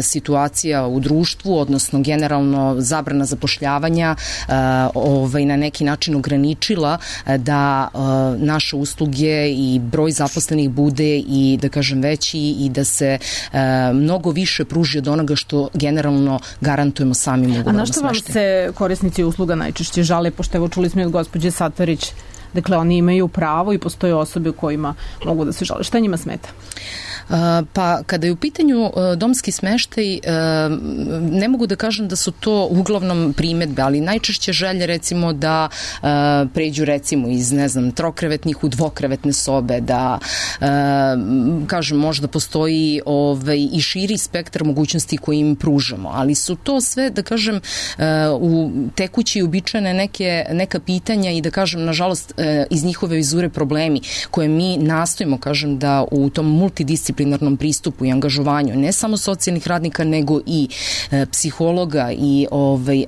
situacija u društvu, odnosno generalno zabrana zapošljavanja na neki način ograničila da naše usluge i broj zaposlenih bude i, da kažem, veći i da se mnogo više pruži od onoga što generalno garantujemo samim ugovorom. A na što vam se korisnici usluga najčešće žale, pošto evo čuli smo od gospođe Satarić, dakle oni imaju pravo i postoje osobe kojima mogu da se žale. Šta njima smeta? Pa kada je u pitanju domski smeštaj, ne mogu da kažem da su to uglavnom primedbe, ali najčešće želje, recimo, da pređu, recimo, iz, ne znam, trokrevetnih u dvokrevetne sobe, da kažem, možda postoji i širi spektar mogućnosti koje im pružamo, ali su to sve, da kažem, u tekući i uobičajene neka pitanja i, da kažem, nažalost, iz njihove vizure problemi koje mi nastojimo, kažem, da u tom multidisciplinarnom pristupu i angažovanju ne samo socijalnih radnika, nego i psihologa i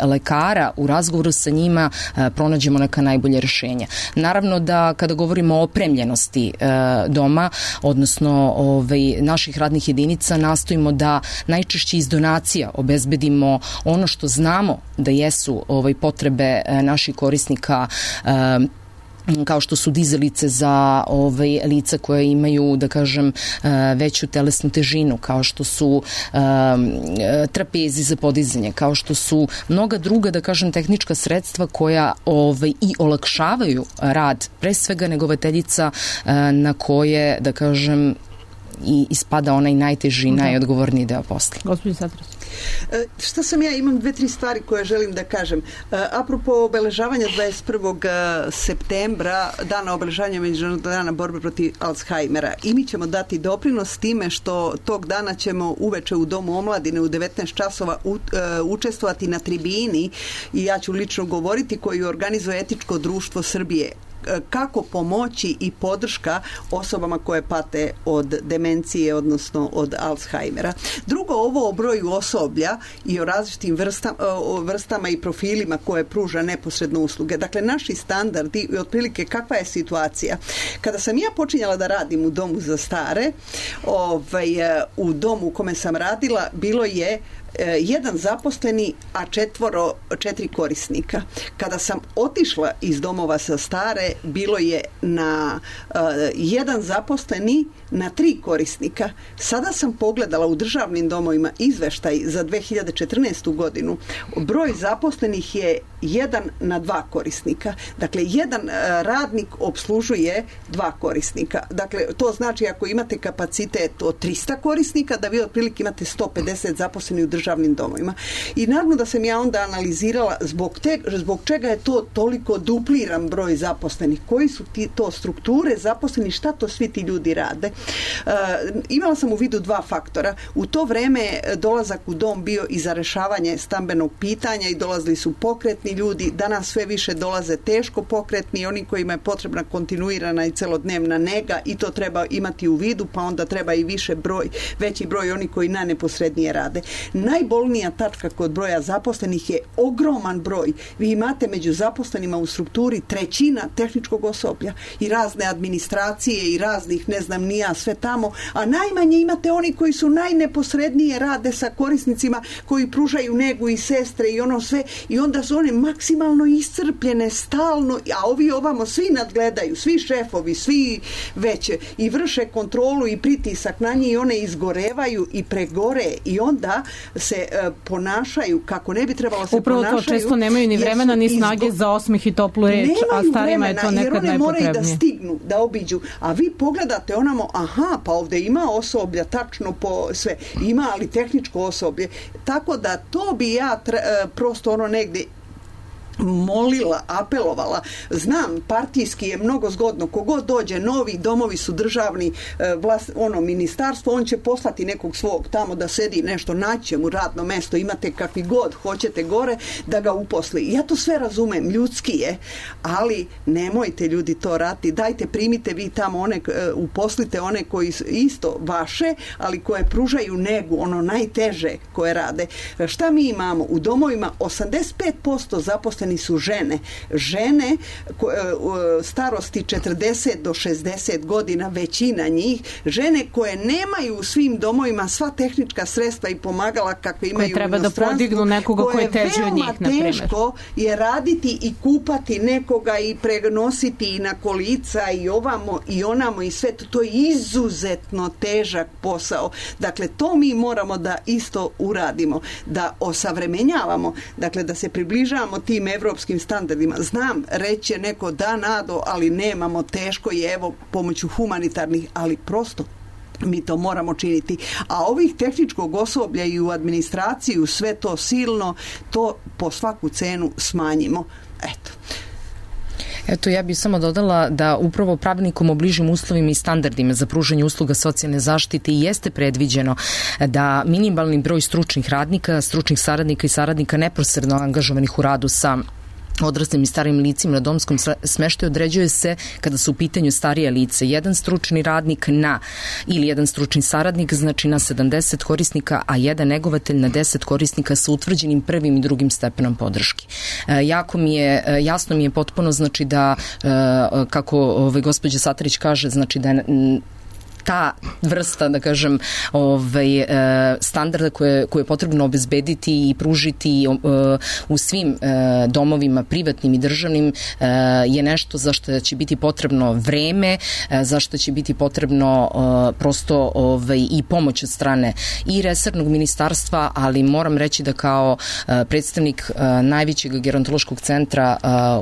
lekara u razgovoru sa njima pronađemo neka najbolje rešenja. Naravno da kada govorimo o opremljenosti doma, odnosno naših radnih jedinica, nastojimo da najčešće iz donacija obezbedimo ono što znamo da jesu potrebe naših korisnika, kao što su dizalice za lica koje imaju, da kažem, veću telesnu težinu, kao što su trapezi za podizanje, kao što su mnoga druga, da kažem, tehnička sredstva koja i olakšavaju rad, pre svega negovateljica na koje, da kažem, i ispada onaj najteži, najodgovorniji deo posla. Gospodin Satrac. Šta sam ja, imam 2-3 stvari koje želim da kažem. Apropo obeležavanja 21. septembra, dana obeležavanja Međunarodnog dana borbe protiv Alzheimera, i mi ćemo dati doprinos time što tog dana ćemo uveče u Domu omladine u 19 časova učestvovati na tribini, i ja ću lično govoriti, koju organizuje Etičko društvo Srbije, kako pomoći i podrška osobama koje pate od demencije, odnosno od Alzheimera. Drugo, ovo o broju osoblja i o različitim vrstama i profilima koje pruža neposredno usluge. Dakle, naši standardi i otprilike kakva je situacija. Kada sam ja počinjala da radim u domu za stare, u domu u kome sam radila bilo je jedan zaposleni, a 4 korisnika. Kada sam otišla iz domova za stare, bilo je na jedan zaposleni na 3 korisnika. Sada sam pogledala u državnim domovima izveštaj za 2014. godinu. Broj zaposlenih je 1 na 2 korisnika. Dakle, jedan radnik obslužuje 2 korisnika. Dakle, to znači ako imate kapacitet od 300 korisnika, da vi otprilike imate 150 zaposlenih u državnim domovima. I naravno da sam ja onda analizirala zbog čega je to toliko dupliran broj zaposlenih, koji su to strukture zaposlenih, šta to svi ti ljudi rade. Imala sam u vidu 2 faktora. U to vreme dolazak u dom bio i za rešavanje stambenog pitanja i dolazili su pokretni ljudi. Danas sve više dolaze teško pokretni, oni kojima je potrebna kontinuirana i celodnevna nega, i to treba imati u vidu, pa onda treba i veći broj oni koji neposrednije rade. Najbolnija tačka kod broja zaposlenih je ogroman broj. Vi imate među zaposlenima u strukturi 1/3 tehničkog osoblja i razne administracije i raznih, ne znam ni ja, sve tamo, a najmanje imate oni koji su najneposrednije rade sa korisnicima, koji pružaju negu i sestre i ono sve, i onda su one maksimalno iscrpljene stalno, a ovi ovamo svi nadgledaju, svi šefovi, svi veće, i vrše kontrolu i pritisak na njih, i one izgorevaju i pregore i onda se ponašaju kako ne bi trebalo se upravo ponašaju. Upravo to često nemaju ni vremena ni snage za osmeh i toplu reč, a starima je to nekad najpotrebnije. Jer one moraju da stignu, da obiđu, a vi pogledate onamo, aha, pa ovde ima osoblja tačno po sve, ima, ali tehničko osoblje, tako da to bi ja prosto negde molila, apelovala. Znam, partijski je mnogo zgodno. Kogod dođe novi, domovi su državni, ministarstvo, on će poslati nekog svog tamo da sedi nešto, naće mu radno mesto, imate kakvi god hoćete gore, da ga uposli. Ja to sve razumem, ljudski je, ali nemojte ljudi to raditi. Dajte, primite vi tamo uposlite one koji su isto vaše, ali koje pružaju negu, ono najteže koje rade. Šta mi imamo? U domovima 85% zaposlenih su žene. Žene starosti 40 do 60 godina, većina njih, žene koje nemaju u svim domovima sva tehnička sredstva i pomagala kakve imaju koje treba da podignu nekoga koji je teži od njih, na primjer. Teško je raditi i kupati nekoga i prenositi i na kolica i ovamo i onamo i sve to. To je izuzetno težak posao. Dakle, to mi moramo da isto uradimo, da osavremenjavamo, dakle da se približavamo tim evropskim standardima. Znam, reće neko da, Nado, ali nemamo, teško je, evo, pomoću humanitarnih, ali prosto mi to moramo činiti. A ovih tehničkog osoblja i u administraciju sve to silno, to po svaku cenu smanjimo. Eto, ja bih samo dodala da upravo pravilnikom o bližim uslovima i standardima za pružanje usluga socijalne zaštite jeste predviđeno da minimalni broj stručnih radnika, stručnih saradnika i saradnika neposredno angažovanih u radu sa odraslim i starim licima na domskom smeštaju određuje se kada su u pitanju starije lice. Jedan stručni radnik ili jedan stručni saradnik, znači na 70 korisnika, a jedan negovatelj na 10 korisnika sa utvrđenim prvim i drugim stepenom podrške. Jasno mi je potpuno, znači da, kako gospođa Satarić kaže, znači da ta vrsta, da kažem, standarda koje je potrebno obezbediti i pružiti u svim domovima, privatnim i državnim, je nešto za što će biti potrebno vreme, za što će biti potrebno prosto i pomoć od strane i resornog ministarstva, ali moram reći da kao predstavnik najvećeg gerontološkog centra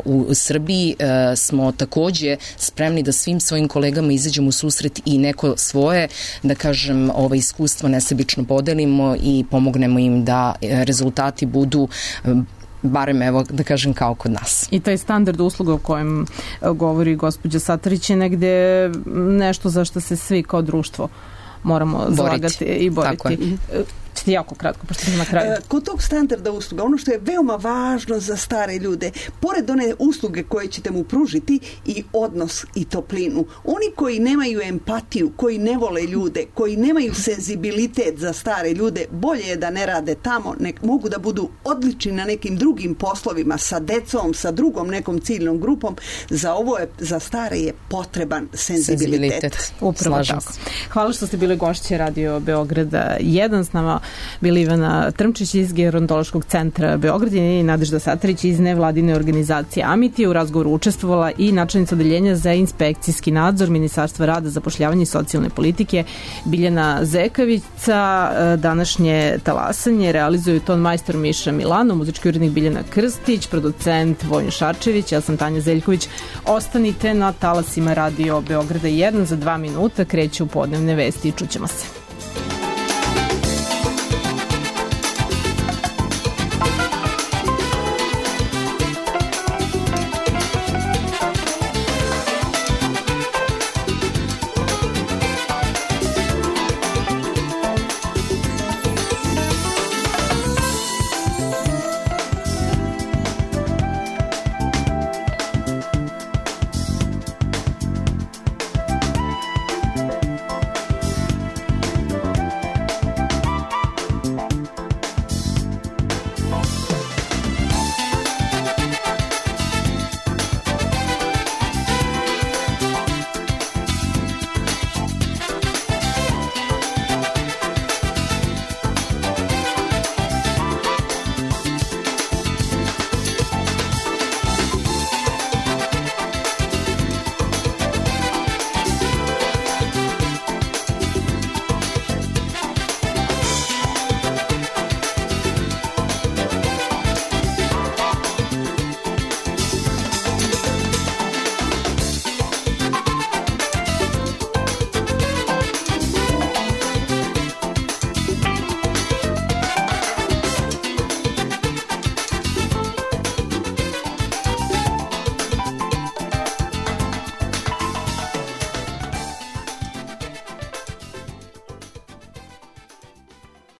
u Srbiji smo takođe spremni da svim svojim kolegama izađemo u susret i neko svoje, da kažem, iskustvo nesebično podelimo i pomognemo im da rezultati budu barem, evo, da kažem, kao kod nas. I taj standard usluga o kojem govori gospođa Satarić je negde nešto za što se svi kao društvo moramo zalagati i boriti. Tako je. Ćete jako kratko, pošto smo na kraju. Kod tog standarda usluga, ono što je veoma važno za stare ljude, pored one usluge koje ćete mu pružiti, i odnos i toplinu. Oni koji nemaju empatiju, koji ne vole ljude, koji nemaju senzibilitet za stare ljude, bolje je da ne rade tamo, mogu da budu odlični na nekim drugim poslovima, sa decom, sa drugom nekom ciljnom grupom. Za stare je potreban senzibilitet. Upravo tako. Hvala što ste bili gošće Radio Beograda 1. S nama bili Ivana Trmčić iz Gerontološkog centra Beograd i Nadežda Satarić iz nevladine organizacije Amiti. U razgovoru učestvovala i načelnica odeljenja za inspekcijski nadzor Ministarstva rada, zapošljavanja i socijalne politike Biljana Zekavica. Današnje talasanje realizuju ton majstor Miša Milano, muzički urednik Biljana Krstić, producent Vojin Šarčević, ja sam Tanja Zeljković. Ostanite na talasima Radio Beograda 1, za 2 minuta kreću podnevne vesti i čućemo se.